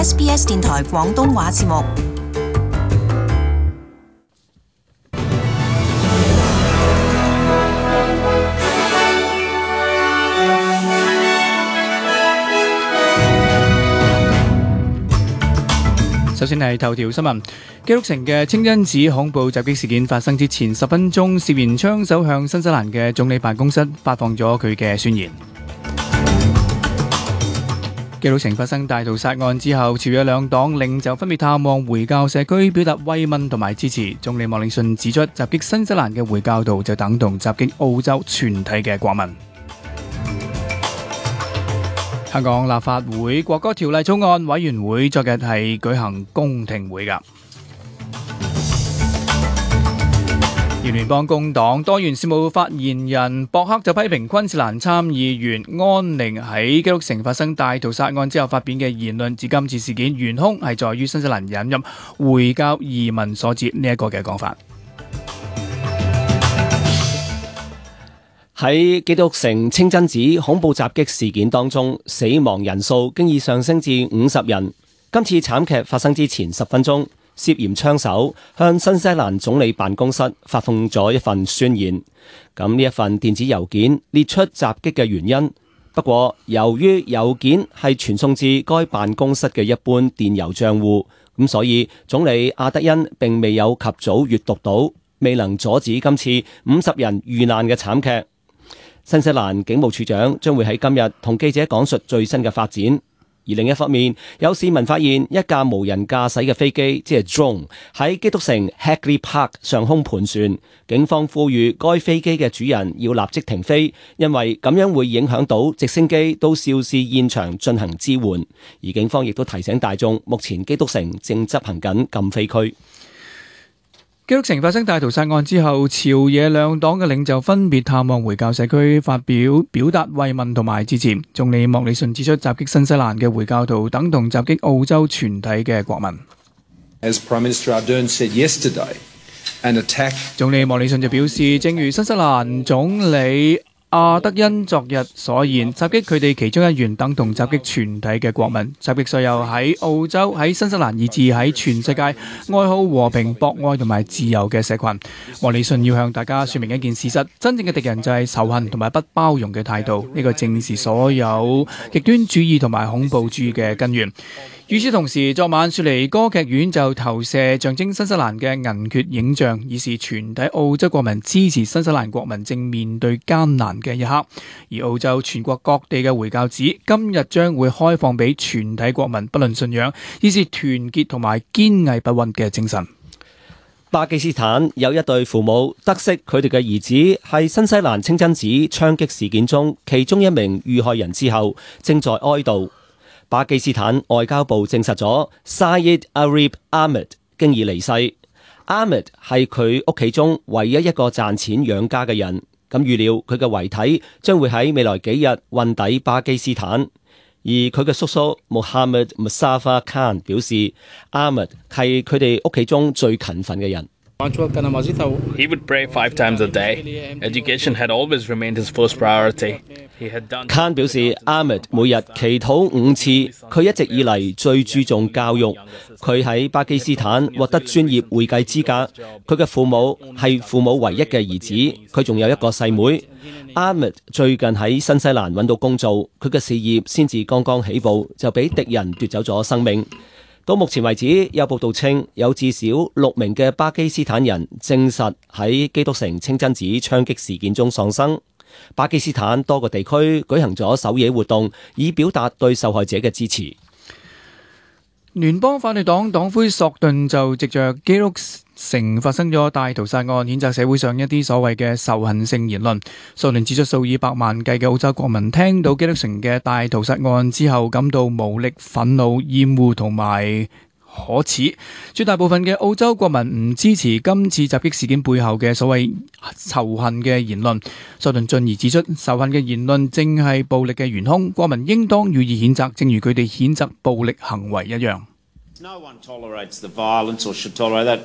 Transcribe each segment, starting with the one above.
SBS 電台廣東話節目。首先係頭條新聞，基督城嘅清真寺恐怖襲擊事件發生之前10分鐘，涉嫌槍手向新西蘭嘅總理辦公室發放咗佢嘅宣言。基督城發生大屠殺案之後，朝野兩黨領袖分別探望回教社區，表達慰問同埋支持。總理莫里遜指出，襲擊新西蘭嘅回教徒就等同襲擊澳洲全體嘅國民。香港立法會國歌條例草案委員會昨日係舉行公聽會㗎。而聯邦工黨多元事務發言人博克就批評昆士蘭參議員安寧喺基督城發生大屠殺案之後發表嘅言論，指今次事件元兇係在於新西蘭引入回教移民所致呢一個嘅講法。喺基督城清真寺恐怖襲擊事件當中，死亡人數經已上升至50人。今次慘劇發生之前10分鐘，涉嫌槍手向新西蘭總理辦公室發放咗一份宣言。咁呢一份電子郵件列出襲擊嘅原因，不過由於郵件係傳送至該辦公室嘅一般電郵帳戶，咁所以總理阿德恩並未有及早閱讀到，未能阻止今次50人遇難嘅慘劇。新西蘭警務處長將會喺今日同記者講述最新嘅發展，而另一方面，有市民發現一架無人駕駛嘅飛機，即係 drone 喺基督城 Hagley Park 上空盤旋。警方呼籲該飛機嘅主人要立即停飛，因為咁樣會影響到直升機到肇事現場進行支援。而警方亦都提醒大眾，目前基督城正執行緊禁飛區。基督城發生大屠殺案之後，朝野兩黨嘅領袖分別探望回教社區，表達慰問同埋支持。總理莫里遜指出，襲擊新西蘭嘅回教徒等同襲擊澳洲全體嘅國民。As Prime Minister Ardern said yesterday, an attack. 總理莫里遜就表示，正如新西蘭總理阿德恩昨日所言，襲擊佢哋其中一員等同襲擊全體嘅國民。襲擊所有喺澳洲、喺新西蘭以至喺全世界愛好和平、博愛同埋自由嘅社群。莫里遜要向大家說明一件事實：真正嘅敵人就係仇恨同埋不包容嘅態度，呢個正是所有極端主義同埋恐怖主義嘅根源。與此同時，昨晚雪梨歌劇院就投射象徵新西蘭嘅銀缺影像，以示全體澳洲國民支持新西蘭國民正面對艱難嘅一刻。而澳洲全國各地嘅回教寺今日將會開放俾全體國民，不論信仰，以示團結同埋堅毅不屈嘅精神。巴基斯坦有一對父母得悉佢哋嘅兒子係新西蘭清真寺槍擊事件中其中一名遇害人之後，正在哀悼。巴基斯坦外交部證實咗 Syed Arif Ahmed 經已離世。Ahmed 係佢屋企中唯一一個賺錢養家嘅人，咁預料佢嘅遺體將會喺未來幾日運抵巴基斯坦。而佢嘅叔叔 Mohammed Mustafa Khan 表示 ，Ahmed 係佢哋屋企中最勤奮嘅人。He would pray 5 times a day. Education had always remained his first priority. Khan 表示 ，Ahmed 每日祈禱5次，佢一直以嚟最注重教育。佢喺巴基斯坦獲得專業會計資格。佢嘅父母係父母唯一嘅兒子，佢仲有一個細妹。Ahmed 最近喺新西蘭揾到工做，佢嘅事業先至剛剛起步，就俾敵人奪走咗生命。到目前為止，有報道稱有至少6名嘅巴基斯坦人證實喺基督城清真寺槍擊事件中喪生。巴基斯坦多個地區舉行咗守夜活動，以表達對受害者嘅支持。聯邦反對黨黨魁索頓就藉着基督城發生咗大屠殺案，譴責社會上一啲所謂嘅仇恨性言論。索頓指出，數以百萬計嘅澳洲國民聽到基督城嘅大屠殺案之後，感到無力、憤怒、厭惡同埋可恥。絕大部分嘅澳洲國民唔支持今次襲擊事件背後嘅所謂仇恨嘅言論。索頓進而指出，仇恨嘅言論正係暴力嘅元兇，國民應當予以譴責，正如佢哋譴責暴力行為一樣。No one tolerates the violence or should tolerate that.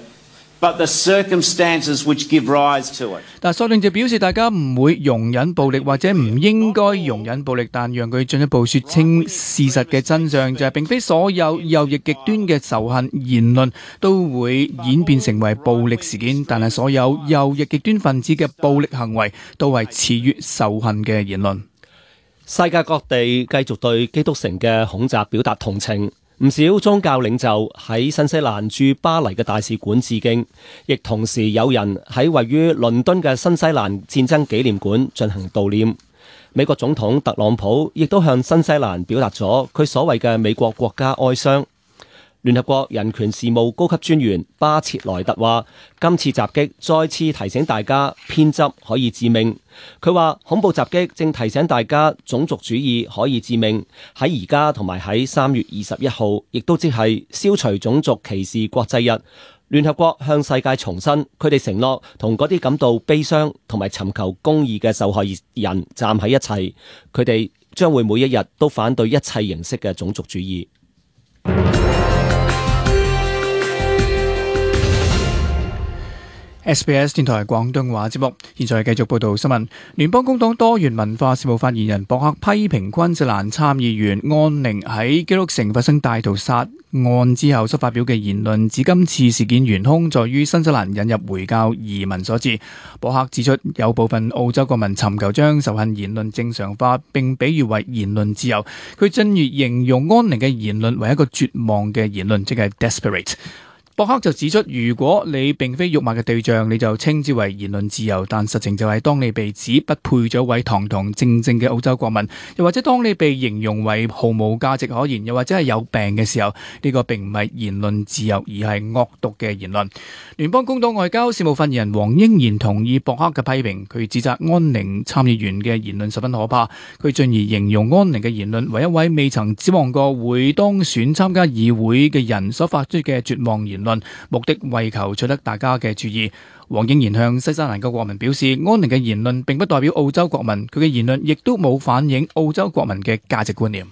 but the circumstances which give rise to it. 但索令就表示大家唔會容忍暴力或者唔應該容忍暴力，但讓佢進一步說清事實嘅真相，就係並非所有右翼極端嘅仇恨言論都會演變成為暴力事件，但係所有右翼極端分子嘅暴力行為都係始於仇恨嘅言論。世界各地繼續對基督城嘅恐襲表達同情。唔少宗教領袖喺新西蘭駐巴黎嘅大使館致敬，亦同時有人喺位於倫敦嘅新西蘭戰爭紀念館進行悼念。美國總統特朗普亦都向新西蘭表達咗佢所謂嘅美國國家哀傷。聯合國人權事務高級專員巴切萊特話：今次襲擊再次提醒大家偏執可以致命。佢話恐怖襲擊正提醒大家種族主義可以致命。喺而家同埋喺3月21號，亦都即係消除種族歧視國際日，聯合國向世界重申佢哋承諾同嗰啲感到悲傷同埋尋求公義嘅受害人站喺一齊。佢哋將會每一日都反對一切形式嘅種族主義。SBS 電台廣東話節目，現在繼續報道新聞。聯邦工黨多元文化事務發言人博克批評昆士蘭參議員安寧喺基督城發生大屠殺案之後所發表嘅言論，指今次事件元兇在於新西蘭引入回教移民所致。博克指出，有部分澳洲國民尋求將仇恨言論正常化，並比喻為言論自由。佢進而形容安寧嘅言論為一個絕望嘅言論，即係 desperate。博克就指出，如果你並非辱罵嘅對象，你就稱之為言論自由，但實情就係當你被指不配咗位堂堂正正嘅澳洲國民，又或者當你被形容為毫無價值可言，又或者係有病嘅時候，呢個並唔係言論自由，而係惡毒嘅言論。聯邦工黨外交事務發言人黃英賢同意博克嘅批評，佢指責安寧參議員嘅言論十分可怕。佢進而形容安寧嘅言論為一位未曾指望過會當選參加議會嘅人所發出嘅絕望言論，目的為求取得大家嘅注意。黃英賢向西西蘭嘅國民表示，安寧嘅言論並不代表澳洲國民，佢嘅言論亦都冇反映澳洲國民嘅價值觀念。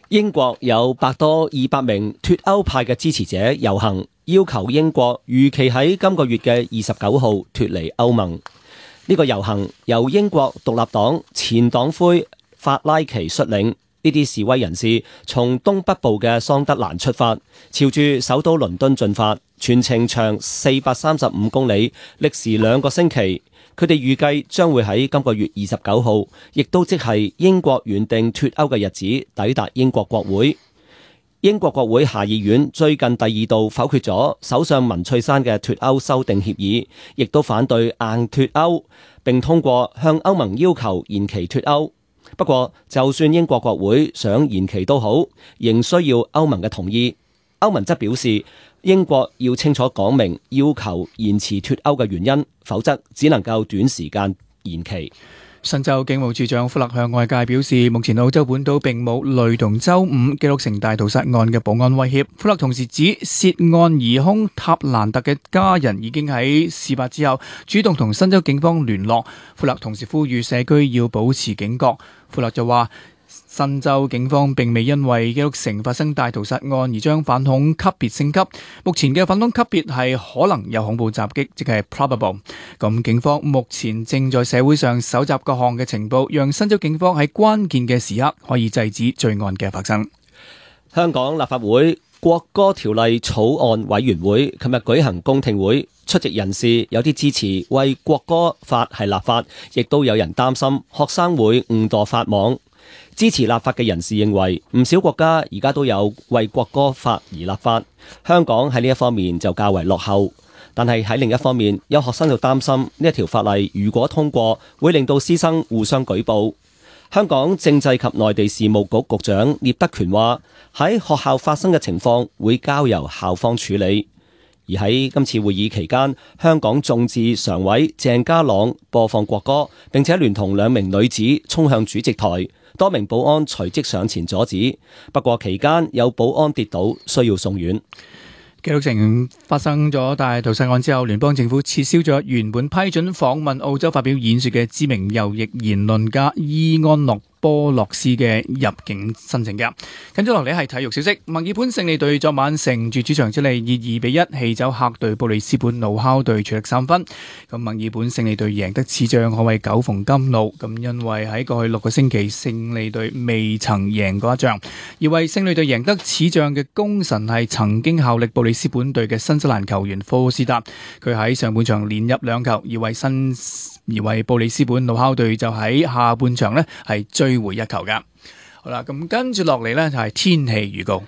英國有百多200名脫歐派嘅支持者遊行，要求英國如期喺今個月嘅29號脫離歐盟。呢個遊行由英國獨立黨前黨魁法拉奇率領。呢啲示威人士從東北部嘅桑德蘭出發，朝住首都倫敦進發，全程長435公里，歷時2個星期。佢哋預計將會喺今個月29號，亦都即係英國原定脫歐嘅日子，抵達英國國會。英國國會下議院最近第2度否決咗首相文翠珊嘅脫歐修訂協議，亦都反對硬脫歐，並通過向歐盟要求延期脫歐。不過，就算英國國會想延期都好，仍需要歐盟嘅同意。歐盟則表示，英國要清楚講明要求延遲脫歐嘅原因，否則只能夠短時間延期。新州警務處長弗勒向外界表示，目前澳洲本島並冇雷同周5基督城大屠殺案嘅保安威脅。弗勒同時指，涉案疑兇塔蘭特嘅家人已經喺事發之後主動同新州警方聯絡。弗勒同時呼籲社區要保持警覺。弗勒就話，新州警方並未因為基督城發生大屠殺案而將反恐級別升級，目前嘅反恐級別係可能有恐怖襲擊，即係 probable。咁警方目前正在社會上搜集各項嘅情報，讓新州警方喺關鍵嘅時刻可以制止罪案嘅發生。香港立法會國歌條例草案委員會琴日舉行公聽會，出席人士有啲支持為國歌法係立法，亦都有人擔心學生會誤墮法網。支持立法嘅人士認為，唔少國家而家都有為國歌法而立法，香港喺呢一方面就較為落後。但係喺另一方面，有學生就擔心呢一條法例如果通過，會令到師生互相舉報。香港政制及內地事務局局長聶德權話，喺學校發生嘅情況會交由校方處理。而喺今次會議期間，香港眾志常委鄭家朗播放國歌，並且聯同2名女子衝向主席台，多名保安隨即上前阻止。不過期間有保安跌倒，需要送院。基督城發生咗大屠殺案之後，聯邦政府撤銷咗原本批准訪問澳洲發表演說嘅知名右翼言論家伊安諾波洛斯嘅入境申請嘅。跟住落嚟係體育消息，墨爾本勝利隊昨晚乘住主場之利以2-1氣走客隊布里斯本怒敲隊，取得3分。咁墨爾本勝利隊贏得此仗可謂久逢甘露，咁因為喺過去6個星期勝利隊未曾贏過一仗，而為勝利隊贏得此仗嘅功臣係曾經效力布里斯本隊嘅新西蘭球員科斯達，佢喺上半場連入2球，而為布里斯本怒敲隊就喺下半場呢係追回1球噶。好啦，咁跟住落嚟呢就係天氣預告。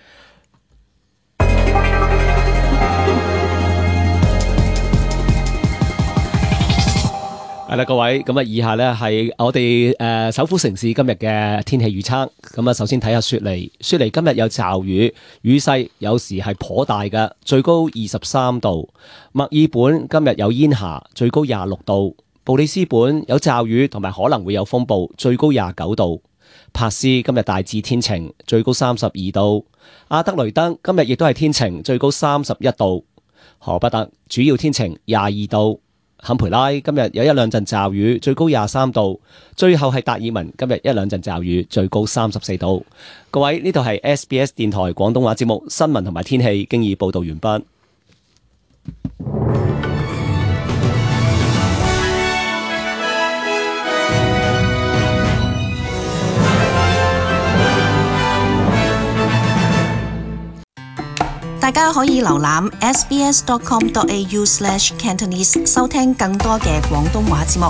係啦，各位，咁啊，以下呢係我哋首府城市今日嘅天氣預測。咁啊，首先睇下雪梨今日有驟雨，雨勢有時係頗大嘅，最高23度。墨爾本今日有煙霞，最高26度。布里斯本有驟雨同埋可能會有風暴，最高29度。珀斯今日大致天晴，最高32度。阿德雷德今日亦都係天晴，最高31度。荷伯特主要天晴22度。坎培拉今日有1-2陣驟雨，最高23度。最後係達爾文今日1-2陣驟雨，最高34度。各位，呢度係 SBS 電台廣東話節目新聞同埋天氣，經已報道完畢。大家可以瀏覽 sbs.com.au/cantonese 收聽更多嘅廣東話節目。